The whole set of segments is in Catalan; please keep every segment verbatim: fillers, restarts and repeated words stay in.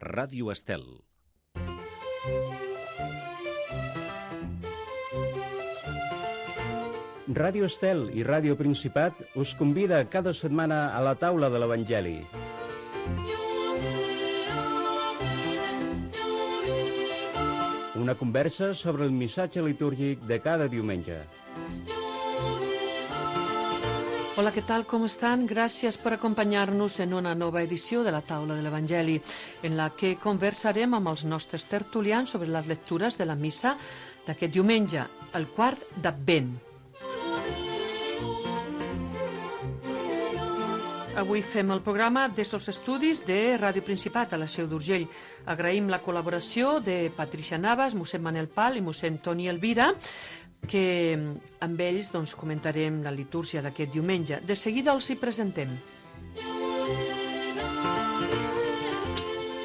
Ràdio Estel. Ràdio Estel i Ràdio Principat us convida cada setmana a la taula de l'Evangeli. Una conversa sobre el missatge litúrgic de cada diumenge. Hola, què tal? Com estan? Gràcies per acompanyar-nos en una nova edició de la Taula de l'Evangeli, en la que conversarem amb els nostres tertulians sobre les lectures de la missa d'aquest diumenge, el quart d'Advent. Avui fem el programa des dels estudis de Ràdio Principat a la Seu d'Urgell. Agraïm la col·laboració de Patricia Navas, mossèn Manel Pal i mossèn Toni Elvira, que amb ells doncs, comentarem la litúrgia d'aquest diumenge. De seguida els hi presentem.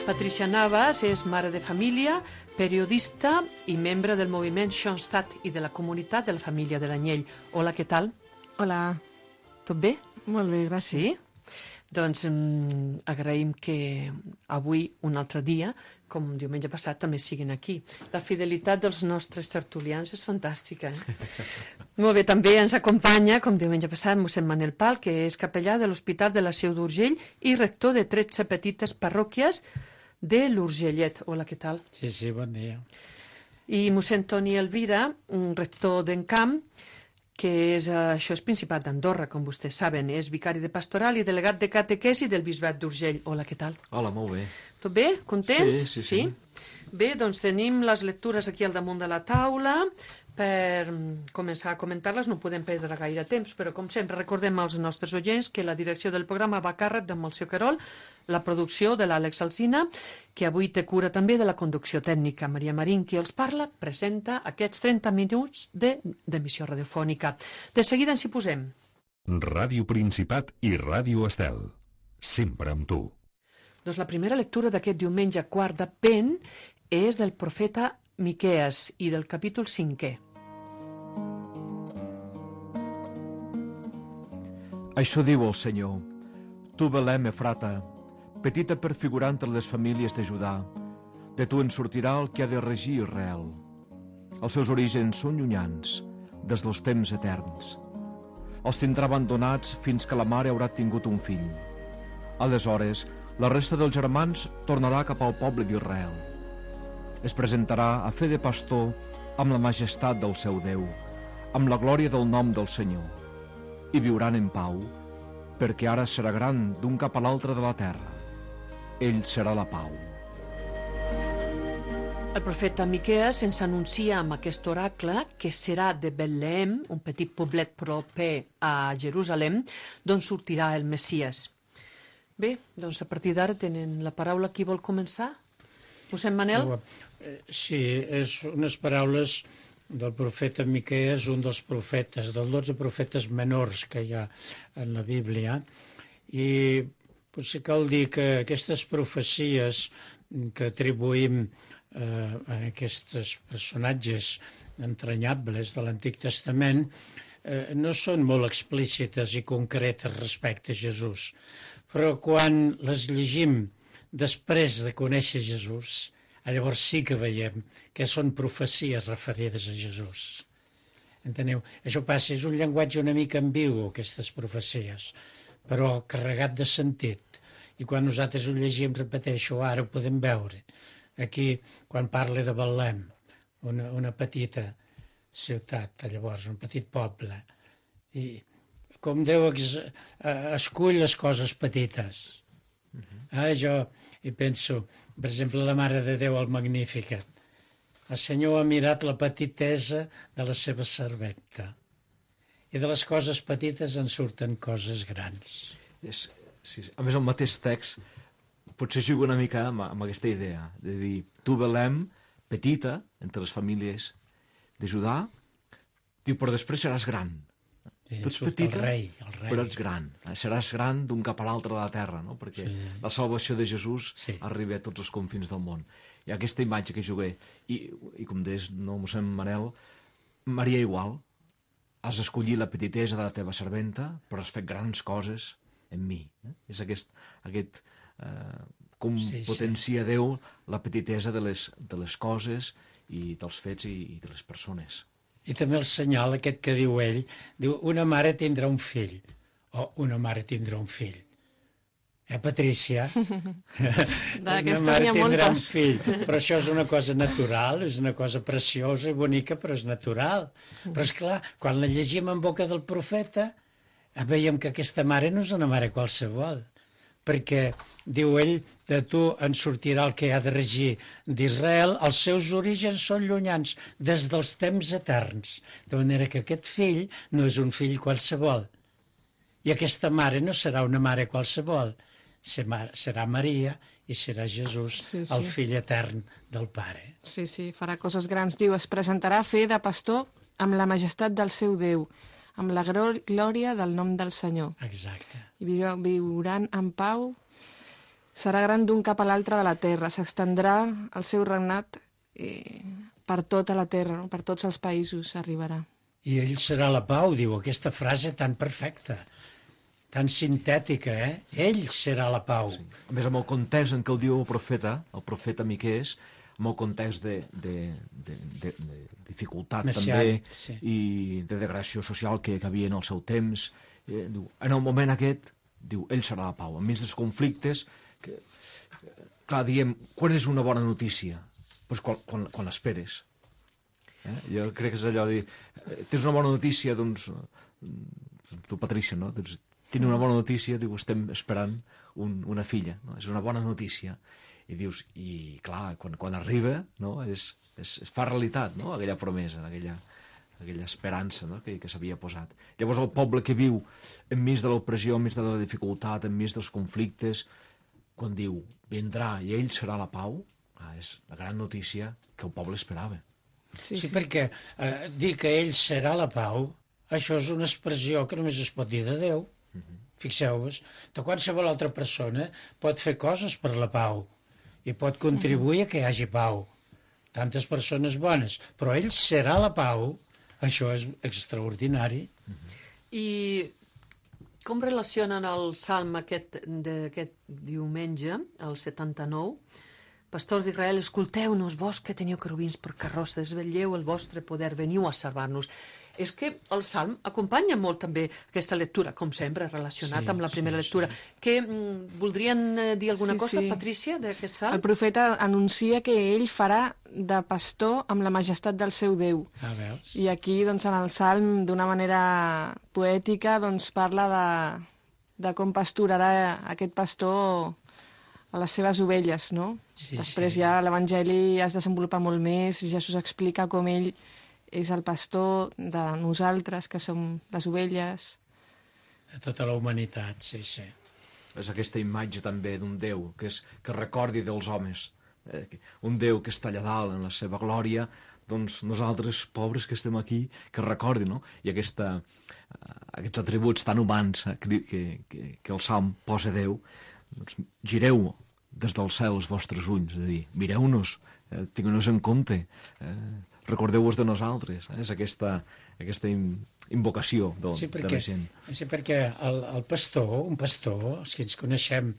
Patricia Navas és mare de família, periodista i membre del moviment Schoenstatt i de la comunitat de la família de l'Anyell. Hola, què tal? Hola. Tot bé? Molt bé, gràcies. Sí? Doncs um, agraïm que avui, un altre dia, com diumenge passat, també siguin aquí. La fidelitat dels nostres tertulians és fantàstica. Eh? Molt bé, també ens acompanya, com diumenge passat, mossèn Manel Pal, que és capellà de l'Hospital de la Seu d'Urgell i rector de tretze petites parròquies de l'Urgellet. Hola, què tal? Sí, sí, bon dia. I mossèn Toni Elvira, rector d'Encamp, que és, això és Principat d'Andorra, com vostès saben, és vicari de pastoral i delegat de catequesi del Bisbat d'Urgell. Hola, què tal? Hola, molt bé. Tot bé? Contents? Sí, sí, sí. sí. Bé, doncs tenim les lectures aquí al damunt de la taula. Per començar a comentar-les no podem perdre gaire temps, però com sempre recordem als nostres oients que la direcció del programa va a càrrec de Montse Querol, la producció de l'Àlex Alsina, que avui té cura també de la conducció tècnica. Maria Marín, qui els parla, presenta aquests trenta minuts d'emissió radiofònica. De seguida ens hi posem. Ràdio Principat i Ràdio Estel. Sempre amb tu. Doncs la primera lectura d'aquest diumenge quart d'Advent és del profeta Miquees i del capítol cinquè. Això diu el Senyor: Tu, Belem Efrata, petita per figurar entre les famílies de Judà, de tu en sortirà el que ha de regir Israel. Els seus orígens són llunyans, des dels temps eterns. Els tindrà abandonats fins que la mare haurà tingut un fill. Aleshores, la resta dels germans tornarà cap al poble d'Israel. Es presentarà a fer de pastor amb la majestat del seu Déu, amb la glòria del nom del Senyor. I viuran en pau, perquè ara serà gran d'un cap a l'altre de la terra. Ell serà la pau. El profeta Miquees ens anuncia amb aquest oracle que serà de Betlem, un petit poblet proper a Jerusalem, d'on sortirà el Messies. Bé, doncs a partir d'ara tenen la paraula. Qui vol començar? Mossèn Manel? Sí, és unes paraules del profeta Miquees, un dels profetes, dels dotze profetes menors que hi ha en la Bíblia, i potser cal dir que aquestes profecies que atribuïm eh, a aquests personatges entranyables de l'Antic Testament eh, no són molt explícites i concretes respecte a Jesús, però quan les llegim després de conèixer Jesús, llavors sí que veiem que són profecies referides a Jesús. Enteneu? Això passa, és un llenguatge una mica ambigu, aquestes profecies, però carregat de sentit. I quan nosaltres ho llegim, repeteixo, ara ho podem veure. Aquí, quan parla de Betlem, una, una petita ciutat, llavors, un petit poble, i com Déu ex, escull les coses petites. Ah, jo hi penso, per exemple, la Mare de Déu al Magnificat. El Senyor ha mirat la petitesa de la seva serventa. I de les coses petites en surten coses grans. És, sí, a més, el mateix text potser juga una mica amb, amb aquesta idea, de dir, tu, Belem, petita, entre les famílies de Judà, diu, però després seràs gran. Sí, tu ets surt petita, el rei, el rei. però ets gran. Seràs gran d'un cap a l'altre de la terra, no? Perquè Sí. la salvació de Jesús Sí. arriba a tots els confins del món. I aquesta imatge que jugué, i, i com deies, no, mossèn Manel, Maria igual, has escollit la petitesa de la teva serventa, però has fet grans coses en mi. Eh? És aquest, aquest eh, com Sí, sí. potencia Déu la petitesa de les, de les coses i dels fets i, i de les persones. I també el senyal aquest que diu ell, diu, una mare tindrà un fill, o una mare tindrà un fill. Eh, Patrícia? Una mare tindrà un fill. Però això és una cosa natural, és una cosa preciosa i bonica, però és natural. Però, és clar, quan la llegim en boca del profeta, veiem que aquesta mare no és una mare qualsevol, perquè, diu ell, de tu en sortirà el que ha de regir d'Israel, els seus orígens són llunyans, des dels temps eterns. De manera que aquest fill no és un fill qualsevol. I aquesta mare no serà una mare qualsevol, serà Maria i serà Jesús, sí, sí. el fill etern del Pare. Sí, sí, farà coses grans. Diu, es presentarà a fer de pastor amb la majestat del seu Déu, amb la glòria del nom del Senyor. Exacte. I viuran en pau, serà gran d'un cap a l'altre de la terra, s'extendrà el seu regnat eh, per tota la terra, no? Per tots els països arribarà. I ell serà la pau, diu, aquesta frase tan perfecta, tan sintètica, eh? Ell serà la pau. Sí. A més, amb el context en què ho diu el profeta, el profeta Miquees, amb el context de, de, de, de, de dificultat Messiànic, també, sí. i de degradació social que, que havia en el seu temps, eh, diu, en el moment aquest, diu, ell serà la pau, enmig dels conflictes, que, clar, diem, quan és una bona notícia? Pues quan, quan, quan l'esperes. Eh? Jo crec que és allò de dir, tens una bona notícia, doncs, tu, Patrícia, no? Doncs, tinc una bona notícia, diu, estem esperant un, una filla, no? És una bona notícia. I dius, i clar, quan, quan arriba, no? és, és, es fa realitat, no? Aquella promesa, aquella, aquella esperança, no? que, que s'havia posat. Llavors el poble que viu enmig de l'opressió, enmig de la dificultat, enmig dels conflictes, quan diu, vindrà i ell serà la pau, ah, és la gran notícia que el poble esperava. Sí, sí, sí. perquè eh, dir que ell serà la pau, això és una expressió que només es pot dir de Déu. Uh-huh. Fixeu-vos, de qualsevol altra persona pot fer coses per la pau i pot contribuir uh-huh. a que hi hagi pau. Tantes persones bones, però ell serà la pau, això és extraordinari. Uh-huh. I com relacionen el salm aquest d'aquest diumenge, el setanta-nou? Pastors d'Israel, escolteu-nos, vos que teniu querubins per carrosses, vetlleu el vostre poder, veniu a salvar-nos. És que el Salm acompanya molt també aquesta lectura, com sempre, relacionat sí, amb la primera sí, lectura. Sí. Que mm, voldrien dir alguna sí, cosa, sí. Patrícia, d'aquest Salm? El profeta anuncia que ell farà de pastor amb la majestat del seu Déu. Ah, veus? I aquí, doncs, en el Salm, d'una manera poètica, doncs, parla de, de com pasturarà aquest pastor a les seves ovelles, no? Sí, Després sí. ja l'Evangeli es desenvolupa molt més, Jesús explica com ell és el pastor de nosaltres, que som les ovelles. De tota la humanitat, sí, sí. És aquesta imatge també d'un Déu que, és, que recordi dels homes. Eh? Un Déu que està allà dalt en la seva glòria, doncs nosaltres, pobres que estem aquí, que recordi, no? I aquesta, uh, aquests atributs tan humans eh, que, que, que el Salm posa Déu, doncs gireu des del cel els vostres ulls, és a dir, mireu-nos, eh, tingueu-nos en compte, eh, recordeu-vos de nosaltres. Eh? És aquesta, aquesta invocació de, sí, perquè, de la gent. Sí, perquè el, el pastor, un pastor, els que ens coneixem,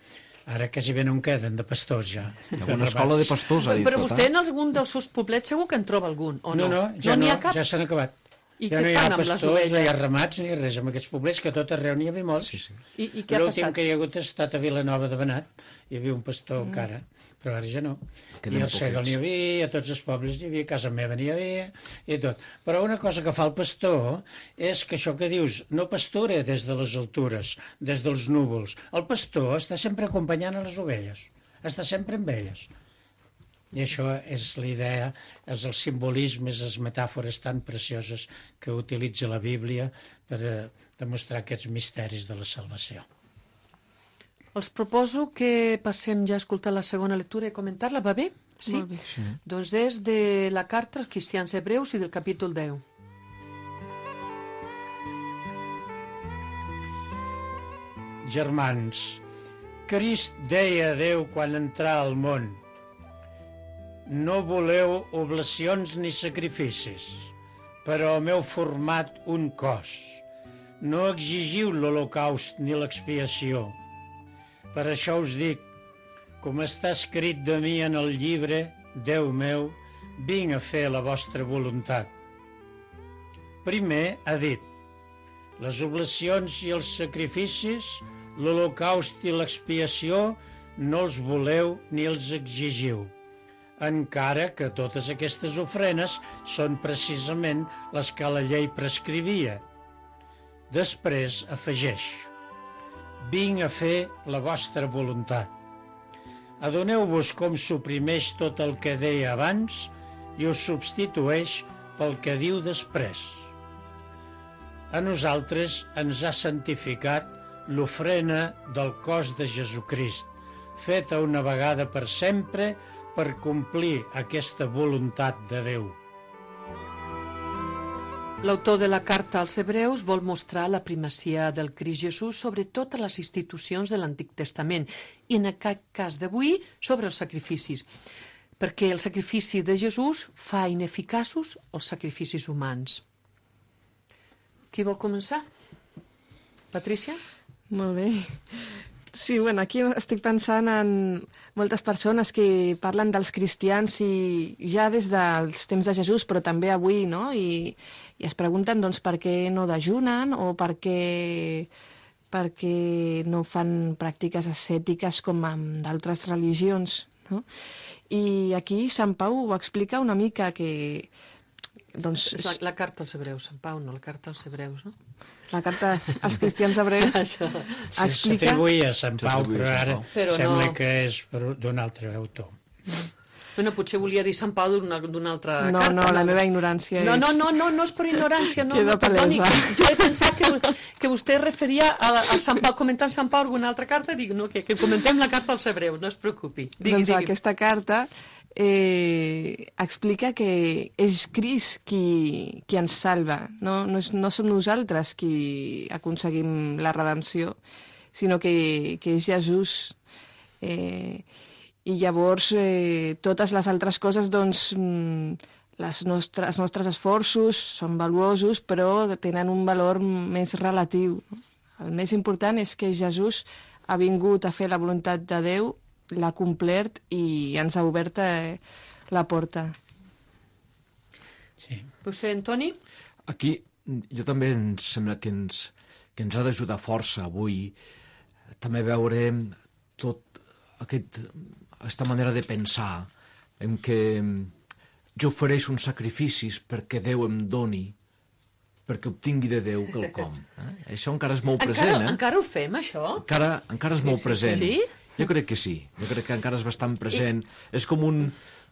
ara quasi bé no en queden de pastors ja. Hi ha una escola de pastors, ha dit. Però vostè en algun dels seus poblets segur que en troba algun, o no? No, no, ja no, no, ja s'han acabat. I ja què no hi fan ha amb les pastors, ovelles? no hi ha ramats ni res amb aquests poblets, que a tot arreu n'hi havia molts. Sí, sí. I, i què ha L'últim passat? que hi ha hagut ha estat a Vilanova de Benat, hi havia un pastor mm. encara, però ara ja no. Queden I al Segol n'hi havia, a tots els pobles n'hi havia, a casa meva n'hi havia, i tot. Però una cosa que fa el pastor és que això que dius, no pastura des de les altures, des dels núvols. El pastor està sempre acompanyant a les ovelles, està sempre amb elles. I això és la idea, és el simbolisme, és les metàfores tan precioses que utilitza la Bíblia per eh, demostrar aquests misteris de la salvació. Els proposo que passem ja a escoltar la segona lectura i comentar-la, va bé? Sí? Molt bé. Sí. Doncs és de la carta als cristians hebreus i del capítol deu. Germans, Crist deia a Déu quan entrà al món: no voleu oblacions ni sacrificis, però m'heu format un cos. No exigiu l'holocaust ni l'expiació. Per això us dic, com està escrit de mi en el llibre, Déu meu, vinc a fer la vostra voluntat. Primer ha dit, les oblacions i els sacrificis, l'holocaust i l'expiació, no els voleu ni els exigiu, encara que totes aquestes ofrenes són precisament les que la llei prescrivia. Després afegeix, vinc a fer la vostra voluntat. Adoneu-vos com suprimeix tot el que deia abans i ho substitueix pel que diu després. A nosaltres ens ha santificat l'ofrena del cos de Jesucrist, feta una vegada per sempre per complir aquesta voluntat de Déu. L'autor de la carta als Hebreus vol mostrar la primacia del Crist Jesús sobre totes les institucions de l'Antic Testament i en aquest cas d'avui sobre els sacrificis, perquè el sacrifici de Jesús fa ineficaços els sacrificis humans. Qui vol començar? Patrícia? Molt bé. Sí, bueno, aquí estic pensant en moltes persones que parlen dels cristians i ja des dels temps de Jesús, però també avui, no? I, i es pregunten, doncs, per què no dejunen o per què, per què no fan pràctiques ascètiques com en d'altres religions, no? I aquí Sant Pau ho explica una mica que... Doncs, és la, la carta als Hebreus, Sant Pau, no la carta als Hebreus, no? La carta als cristians hebreus Això. explica... S'atribuïa a Sant Pau, però ara però sembla no. que és d'un altre autor. Bueno, potser volia dir Sant Pau d'una altra No, carta. no, la meva ignorància no, és... No, no, no, no és per ignorància, no, Queda no, perdoni. palesa. Jo he pensat que, que vostè referia a, a Sant Pau, comentant Sant Pau alguna altra carta, dic, no, que, que comentem la carta als Hebreus, no es preocupi. Digui, doncs digui. aquesta carta eh, explica que és Crist qui, qui ens salva, no, no, és, no som nosaltres qui aconseguim la redempció, sinó que, que és Jesús. Eh, I llavors eh, totes les altres coses, doncs, les nostres, els nostres esforços són valuosos, però tenen un valor més relatiu. El més important és que Jesús ha vingut a fer la voluntat de Déu, l'ha complert i ens ha obert eh, la porta. Sí. Vostè, Antoni? Aquí jo també em sembla que ens, que ens ha d'ajudar força avui també veure tot aquest, aquesta manera de pensar en què jo ofereixo uns sacrificis perquè Déu em doni, perquè obtingui de Déu quelcom. Eh? Això encara és molt present. Encara, eh? encara ho fem, això? Encara, encara és molt present. Sí? Jo crec que sí. Jo crec que encara és bastant present. I... És com un...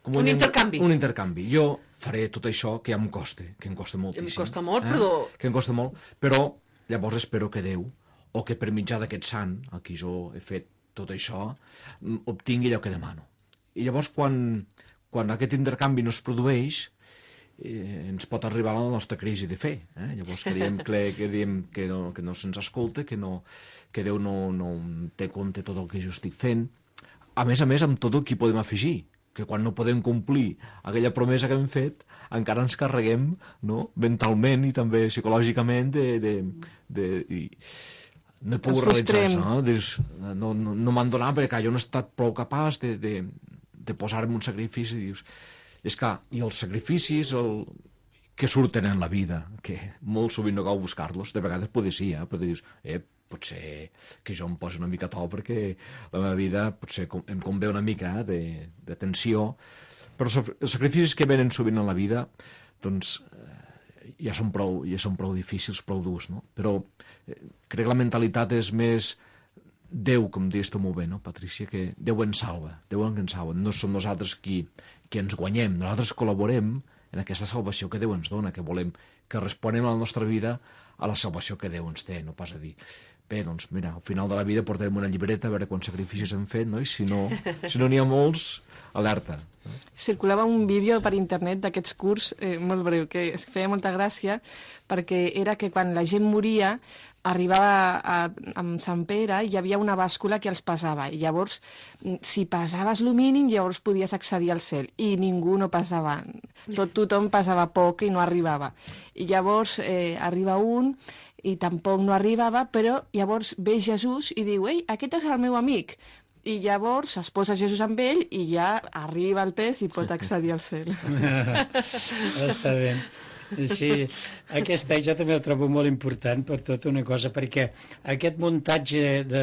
Com un intercanvi. Un intercanvi. Jo faré tot això que ja em costa, que em costa moltíssim. Em costa molt, eh? però... Que em costa molt, però llavors espero que Déu, o que per mitjà d'aquest sant, a qui jo he fet tot això, obtingui allò que demano. I llavors, quan, quan aquest intercanvi no es produeix, eh, ens pot arribar la nostra crisi de fe. Eh? Llavors creiem que, que, diem que no, que no se'ns escolta, que, no, que Déu no, no té compte tot el que jo estic fent. A més a més, amb tot el que podem afegir, que quan no podem complir aquella promesa que hem fet, encara ens carreguem, no? Mentalment i també psicològicament de... de, de i no he pogut realitzar això, no? Dius, no, no, no m'han donat perquè jo no he estat prou capaç de, de, de posar-me un sacrifici. Dius, és clar, i els sacrificis el, que surten en la vida, que molt sovint no cal buscar-los, de vegades potser sí, eh? Però dius, eh, potser que jo em posi una mica a to perquè la meva vida potser em convé una mica eh, de, de tensió, però els sacrificis que venen sovint en la vida doncs eh, ja, són prou, ja són prou difícils, prou durs, no? Però eh, crec que la mentalitat és més Déu, com deies tu molt bé, no, Patrícia, que Déu ens salva, Déu ens salva, no som nosaltres qui, qui ens guanyem, nosaltres col·laborem en aquesta salvació que Déu ens dona, que volem que responem a la nostra vida a la salvació que Déu ens té, no pas a dir bé, doncs mira, al final de la vida portarem una llibreta a veure quants sacrificis hem fet, no? I si no si no n'hi ha molts, alerta. Circulava un vídeo per internet d'aquests curs eh, molt breu, que es feia molta gràcia, perquè era que quan la gent moria arribava a, a, amb Sant Pere i hi havia una bàscula que els pesava, i llavors si pesaves el mínim llavors podies accedir al cel, i ningú no pesava, tot tothom pesava poc i no arribava, i llavors eh, arriba un i tampoc no arribava, però llavors ve Jesús i diu, ei, aquest és el meu amic, i llavors es posa Jesús amb ell i ja arriba al pes i pot accedir al cel. Està bé. Sí, aquesta jo també el trobo molt important per tota una cosa, perquè aquest muntatge de,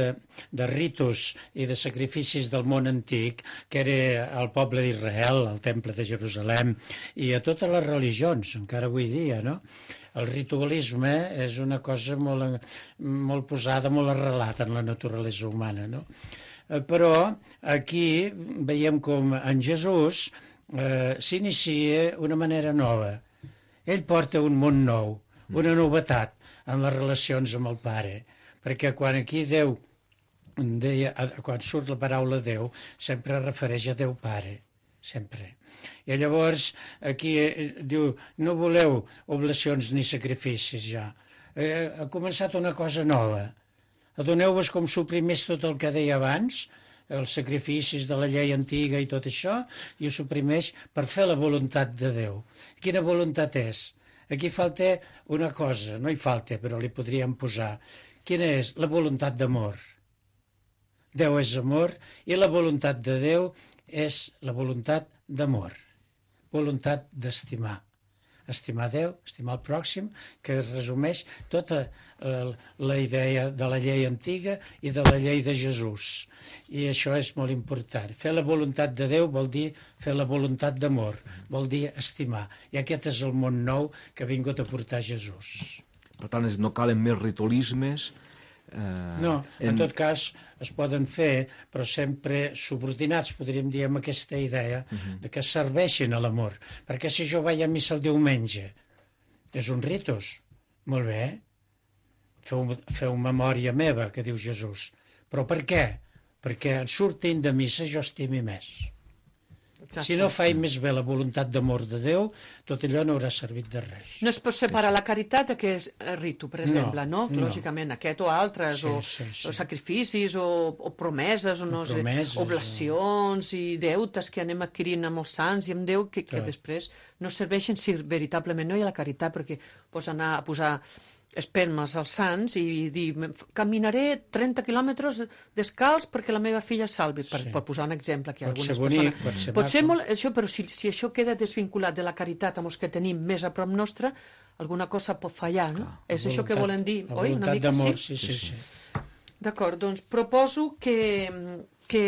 de ritus i de sacrificis del món antic, que era al poble d'Israel, al temple de Jerusalem, i a totes les religions, encara avui dia, no? El ritualisme és una cosa molt, molt posada, molt arrelada en la naturalesa humana, no? Però aquí veiem com en Jesús eh, s'inicia una manera nova. Ell porta un món nou, una novetat en les relacions amb el Pare, perquè quan aquí Déu deia, quan surt la paraula Déu, sempre es refereix a Déu Pare, sempre. I llavors aquí diu, no voleu oblacions ni sacrificis ja, eh, ha començat una cosa nova, adoneu-vos com suprimeix tot el que deia abans, els sacrificis de la llei antiga i tot això, i ho suprimeix per fer la voluntat de Déu. Quina voluntat és? Aquí falta una cosa, no hi falta, però li podríem posar. Quina és? La voluntat d'amor. Déu és amor i la voluntat de Déu és la voluntat d'amor, voluntat d'estimar. Estimar Déu, estimar el pròxim, que es resumeix tota eh, la idea de la llei antiga i de la llei de Jesús. I això és molt important. Fer la voluntat de Déu vol dir fer la voluntat d'amor, vol dir estimar. I aquest és el món nou que ha vingut a portar Jesús. Per tant, no calen més ritualismes. Eh, no, en, en tot cas es poden fer, però sempre subordinats, podríem dir, amb aquesta idea uh-huh. de que serveixin a l'amor. Perquè si jo vaig a missa el diumenge, és un ritus, molt bé, feu, feu memòria meva, que diu Jesús. Però per què? Perquè sortint de missa jo estimi més. Exacte. Si no faig més bé la voluntat d'amor de Déu, tot allò no haurà servit de res. No es pot separar la caritat d'aquest ritu, per exemple, no? no? Lògicament, aquest o altres, sí, o, sí, sí. o sacrificis, o, o promeses, o no promeses, sé, oblacions o... i deutes que anem adquirint amb els sants i amb Déu, que, que després no serveixen si veritablement no hi ha la caritat, perquè pots anar a posar espelmes als sants i dir, caminaré trenta quilòmetres descalç perquè la meva filla salvi, per, sí. per posar un exemple. Que pot algunes ser bonic, persones... pot ser pot ser molt, això, però si, si això queda desvinculat de la caritat amb els que tenim més a prop nostre, alguna cosa pot fallar, no? Clar, és voluntat, això que volen dir, oi? Una mica d'amor, sí? sí, sí, sí. D'acord, doncs proposo que, que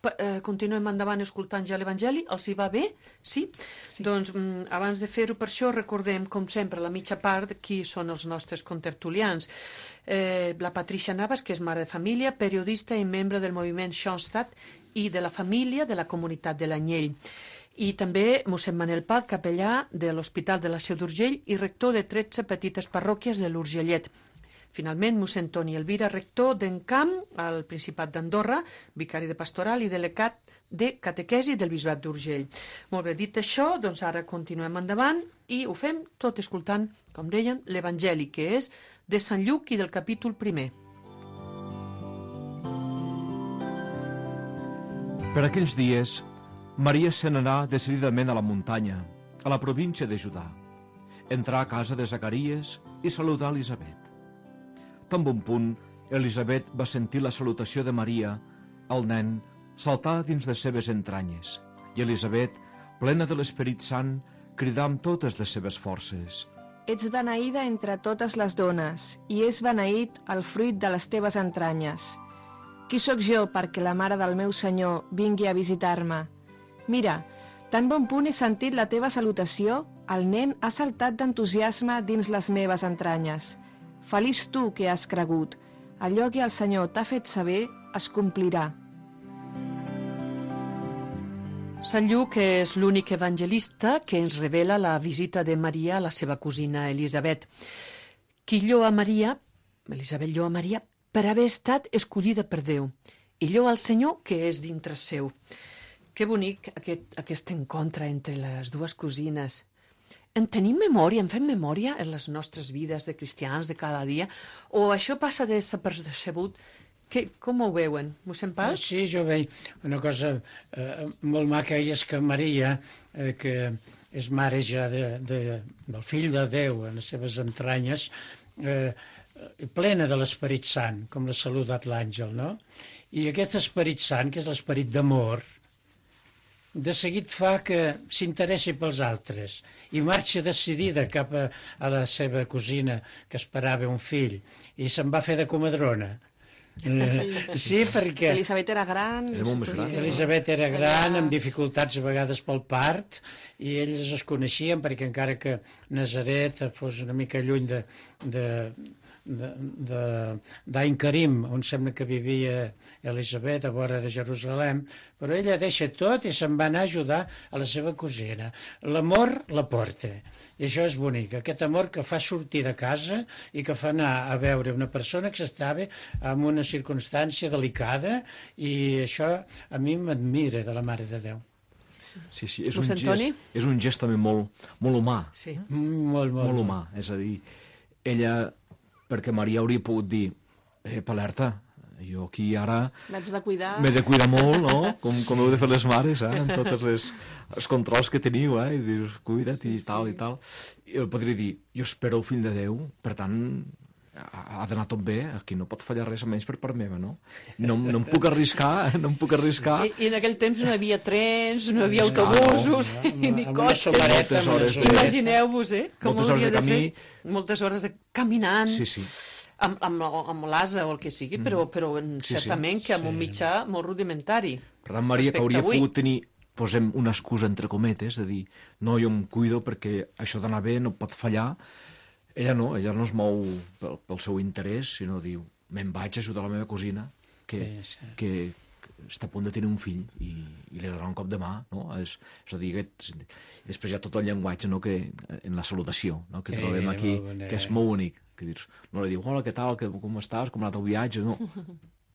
eh, continuem endavant escoltant ja l'Evangeli. Els hi va bé? Sí? sí. Doncs mm, abans de fer-ho, per això recordem, com sempre, la mitja part, qui són els nostres contertulians. Eh, la Patricia Navas, que és mare de família, periodista i membre del moviment Schoenstatt i de la família de la comunitat de l'Anyell. I també mossèn Manel Pal, capellà de l'Hospital de la Seu d'Urgell i rector de tretze petites parròquies de l'Urgellet. Finalment, mossèn Toni Elvira, rector d'Encamp, al Principat d'Andorra, vicari de pastoral i delegat de catequesi del Bisbat d'Urgell. Molt bé, dit això, doncs ara continuem endavant i ho fem tot escoltant, com deien, l'Evangeli, que és de Sant Lluc i del capítol primer. Per aquells dies, Maria se n'anà decididament a la muntanya, a la província de Judà. Entrà a casa de Zacaries i saludà Elisabet. Tan bon punt, Elisabet va sentir la salutació de Maria, el nen saltar dins les seves entranyes, i Elisabet, plena de l'Esperit Sant, cridà amb totes les seves forces. Ets beneïda entre totes les dones, i és beneït el fruit de les teves entranyes. Qui sóc jo perquè la mare del meu Senyor vingui a visitar-me? Mira, tan bon punt he sentit la teva salutació, el nen ha saltat d'entusiasme dins les meves entranyes. Feliç tu que has cregut. Allò que el Senyor t'ha fet saber es complirà. Sant Lluc és l'únic evangelista que ens revela la visita de Maria a la seva cosina Elisabet, qui lloa Maria, Elisabet lloa Maria, per haver estat escollida per Déu, i lloa al Senyor que és dintre seu. Que bonic aquest, aquest encontre entre les dues cosines. En tenim memòria, en fem memòria en les nostres vides de cristians de cada dia? O això passa desapercebut? Que, com ho veuen, mossèn Pal? Sí, jo veig una cosa eh, molt maca, i és que Maria, eh, que és mare ja de, de, del fill de Déu en les seves entranyes, eh, plena de l'Esperit Sant, com l'ha saludat l'àngel, no? I aquest esperit sant, que és l'esperit d'amor, de seguit fa que s'interessi pels altres i marxa decidida cap a, a la seva cosina, que esperava un fill, i se'n va fer de comadrona. Eh, sí, perquè Elisabet era gran. Era molt més gran. Elisabet era gran, amb dificultats a vegades pel part, i ells es coneixien perquè encara que Nazaret fos una mica lluny de, de, de, de, d'Ain Karim, on sembla que vivia Elisabet, a vora de Jerusalem, però ella deixa tot i se'n va anar a ajudar a la seva cosina. L'amor la porta, i això és bonic, aquest amor que fa sortir de casa i que fa anar a veure una persona que s'estava en una circumstància delicada, i això a mi m'admira de la Mare de Déu. Sí, sí, és un, Mossèn Toni? gest, és un gest també molt, molt humà, Sí. Molt, molt, molt humà. És a dir, ella, perquè Maria hauria pogut dir, eh, alerta, jo aquí ara L'haig de cuidar. m'he de cuidar molt, no? Com, com heu de fer les mares, eh? En tots les, els controls que teniu, eh? I dius, cuida't i tal i tal. I jo podria dir, jo espero el fill de Déu, per tant, ha, ha d'anar tot bé, aquí no pot fallar res, almenys per part meva, no? No, no em puc arriscar, no em puc arriscar. I, I en aquell temps no hi havia trens, no hi havia Esclar, autobusos, no, no, ni amb una cotxes. somareta, amb una Moltes somareta. Imagineu-vos, eh? Com Moltes hores hauria de de ser. camí. Moltes hores de caminant. Sí, sí. Amb, amb, amb l'asa o el que sigui, però, però en, Sí, sí. certament que amb un mitjà molt rudimentari. Per tant, Maria, que Respecte hauria avui. pogut tenir, posem una excusa entre cometes, de dir, no, jo em cuido perquè això d'anar bé no pot fallar. Ella no, ella no es mou pel, pel seu interès, sinó diu, me'n vaig a ajudar la meva cosina, que, Sí, sí. que, que està a punt de tenir un fill, i, i li donarà un cop de mà, no? És, és a dir, aquest, després hi ha tot el llenguatge, no?, que, en la salutació, no?, que Sí, trobem aquí, molt bonic. que és molt bonic, que dius, no li diu, hola, què tal, que, com estàs, com ha anat el viatge, no.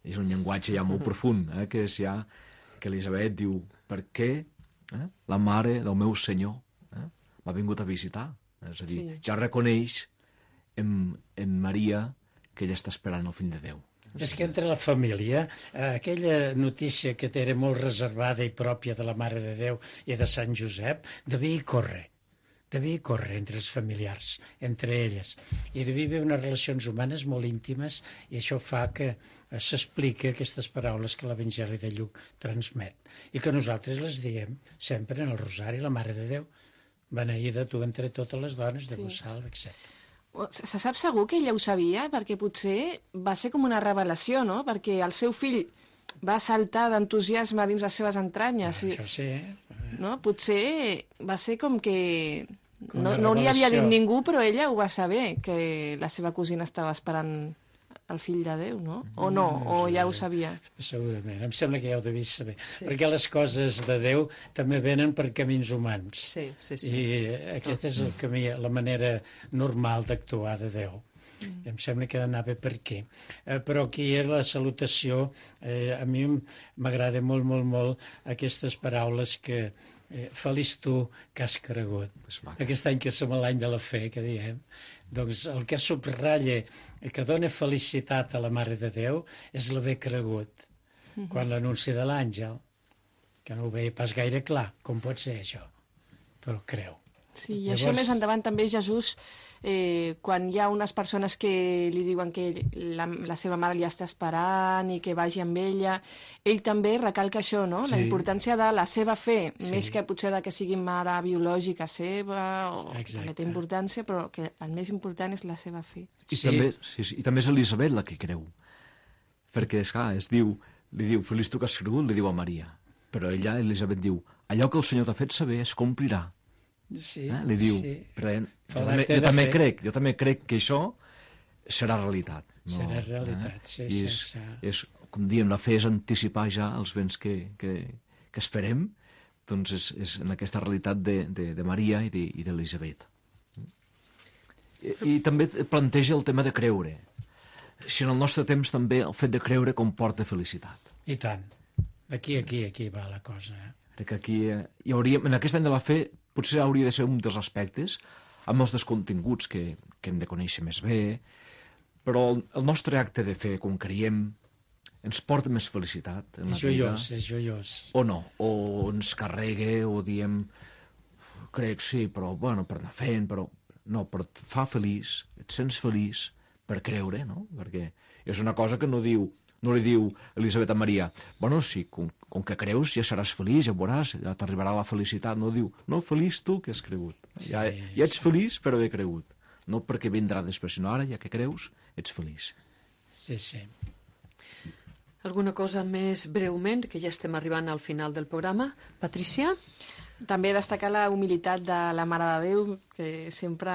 És un llenguatge ja molt profund, eh, que és ja, que Elisabet diu, per què eh, la mare del meu senyor eh, m'ha vingut a visitar? És a dir, Sí. ja reconeix en, en Maria que ella està esperant el fill de Déu. És que entre la família, eh, aquella notícia que era molt reservada i pròpia de la Mare de Déu i de Sant Josep, devia hi córrer. Devia hi córrer entre els familiars, entre elles. I devia haver unes relacions humanes molt íntimes, i això fa que eh, s'expliqui aquestes paraules que l'Evangeli de Lluc transmet. I que nosaltres les diem sempre en el Rosari, la Mare de Déu, beneïda tu entre totes les dones, de vos salve, etcètera. Se sap segur que ella ho sabia? Perquè potser va ser com una revelació, no? Perquè el seu fill va saltar d'entusiasme dins les seves entranyes. I, Això sí, eh? no? Potser va ser com que... Com No, una no li havia dit revelació. ningú, però ella ho va saber, que la seva cosina estava esperant el fill de Déu, no? O no, o ja ho sabia. Segurament, em sembla que ja ho devies saber. Sí. Perquè les coses de Déu també venen per camins humans. Sí, sí, sí. I aquest és el camí, la manera normal d'actuar de Déu. Mm. Em sembla que anava per aquí. Eh, però aquí és la salutació. Eh, a mi m'agrada molt, molt, molt aquestes paraules que eh, feliç tu que has cregut. Aquest any que som l'any de la fe, que diem, doncs el que subratlla, que dona felicitat a la Mare de Déu, és l'haver cregut. Mm-hmm. Quan l'anunci de l'àngel, que no ho veia pas gaire clar, com pot ser això, però creu. Sí, i Llavors... això més endavant també Jesús, eh, quan hi ha unes persones que li diuen que la, la seva mare li està esperant i que vagi amb ella, ell també recalca això, no? Sí. La importància de la seva fe, sí. Més que potser de que sigui mare biològica seva, o Exacte. que té importància, però que el més important és la seva fe. I, Sí. també, sí, sí, i també és Elisabet la que creu. Perquè, esclar, es diu, li diu, feliç tu que has cregut, li diu a Maria. Però ella, Elisabet, diu, allò que el Senyor t'ha fet saber es complirà. Sí, Eh? Li diu, sí. però, jo, Fa també, l'acte jo de també fe. crec, jo també crec que això serà realitat. No? Serà realitat, sí, I és, sense- és, com diem, la fe és anticipar ja els béns que, que, que esperem, doncs és, és en aquesta realitat de, de, de Maria i de- i d'Elisabet. I, I també planteja el tema de creure. Si en el nostre temps també el fet de creure comporta felicitat. I tant. Aquí, aquí, aquí va la cosa. Eh? Perquè aquí eh, hi hauria, en aquest any de la fe potser hauria de ser un dels aspectes, amb els descontinguts que, que hem de conèixer més bé, però el, el nostre acte de fe, quan creiem, ens porta més felicitat en la És vida. joiós, és joiós. O no, o ens carrega, o diem, crec, sí, però, bueno, per anar fent, però... No, però et fa feliç, et sents feliç per creure, no? Perquè és una cosa que no diu No li diu Elisabet a Maria, bueno, sí, com, com que creus ja seràs feliç, ja veuràs, ja t'arribarà la felicitat. No diu, no, feliç tu que has cregut. Sí, ja, ja ets feliç per haver cregut. No perquè vindrà després, sinó ara, ja que creus, ets feliç. Sí, sí. Alguna cosa més breument, que ja estem arribant al final del programa. Patricia? També destacar la humilitat de la Mare de Déu, que sempre,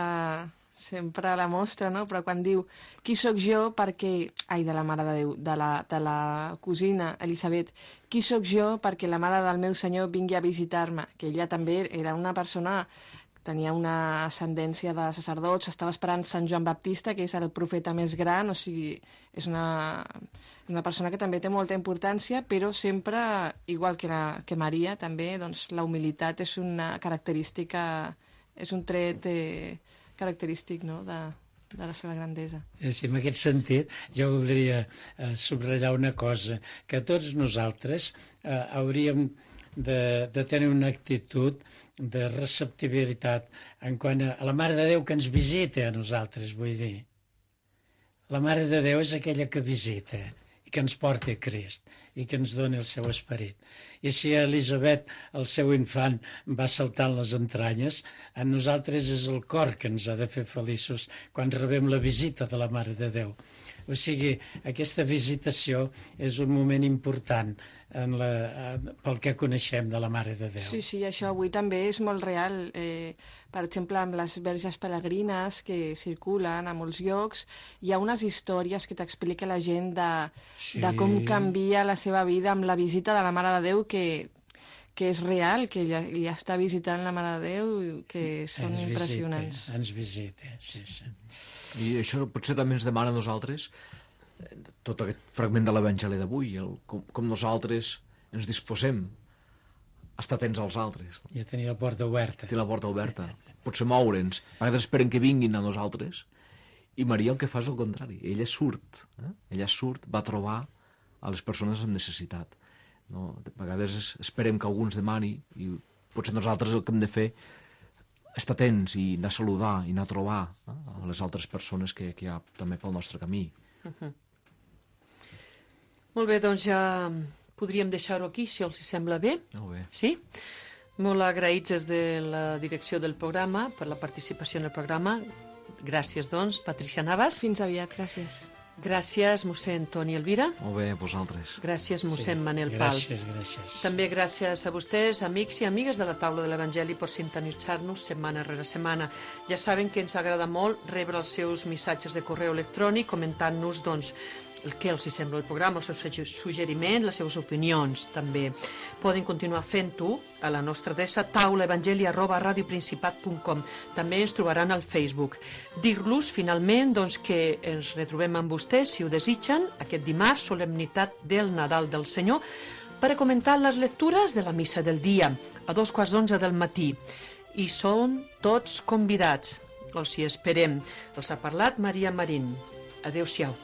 sempre la mostra, no? Però quan diu, qui sóc jo perquè... Ai, de la Mare de Déu, de la, de la cosina Elisabet. Qui sóc jo perquè la mare del meu senyor vingui a visitar-me? Que ella també era una persona... Tenia una ascendència de sacerdots, estava esperant Sant Joan Baptista, que és el profeta més gran, o sigui, és una, una persona que també té molta importància, però sempre, igual que, la, que Maria, també, doncs, la humilitat és una característica, és un tret eh, característic, no?, de, de la seva grandesa. Sí, en aquest sentit, jo voldria eh, subratllar una cosa, que tots nosaltres eh, hauríem de, de tenir una actitud de receptibilitat en quant a, a la Mare de Déu que ens visita a nosaltres, vull dir. La Mare de Déu és aquella que visita i que ens porta a Crist i que ens dona el seu esperit. I si a Elisabet el seu infant va saltant les entranyes, a nosaltres és el cor que ens ha de fer feliços quan rebem la visita de la Mare de Déu. O sigui, aquesta visitació és un moment important en la, pel que coneixem de la Mare de Déu. Sí, sí, això avui també és molt real. Eh, per exemple, amb les verges pelegrines que circulen a molts llocs, hi ha unes històries que t'explica la gent de, sí. de com canvia la seva vida amb la visita de la Mare de Déu, que, que és real, que ella, ella està visitant la Mare de Déu, que són ens impressionants. Visita, ens visita, sí, sí. I això potser també ens demana a nosaltres tot aquest fragment de l'Evangeli d'avui, com, com nosaltres ens disposem a estar atents als altres. I a tenir la porta oberta. Tenir la porta oberta. Potser moure'ns. A vegades esperen que vinguin a nosaltres i Maria el que fa és el contrari. Ella surt. Eh? Ella surt, va trobar a les persones amb necessitat. No? A vegades esperem que algú ens demani i potser nosaltres el que hem de fer estar atents i anar a saludar i anar a trobar eh, a les altres persones que, que hi ha també pel nostre camí. Uh-huh. Molt bé, doncs ja podríem deixar-ho aquí, si els sembla bé. Molt bé. Sí? Molt agraïts des de la direcció del programa per la participació en el programa. Gràcies, doncs, Patricia Navas. Fins aviat, gràcies. Gràcies, mossèn Toni Elvira. Molt bé, vosaltres. Gràcies, mossèn sí, Manel Pal. Gràcies, gràcies. També gràcies a vostès, amics i amigues de la taula de l'Evangeli, per sintonitzar-nos setmana rere setmana. Ja saben que ens agrada molt rebre els seus missatges de correu electrònic comentant-nos, doncs, el que els sembla el programa, els seus suggeriments, les seves opinions, també. Poden continuar fent-ho a la nostra adreça taulaevangeli arroba radioprincipat punt com. També ens trobaran al Facebook. Dir-los, finalment, doncs, que ens retrobem amb vostès, si ho desitgen, aquest dimarts, solemnitat del Nadal del Senyor, per a comentar les lectures de la missa del dia, a dos quarts d'onze del matí. I són tots convidats. Els hi esperem. Els ha parlat Maria Marín. Adéu-siau.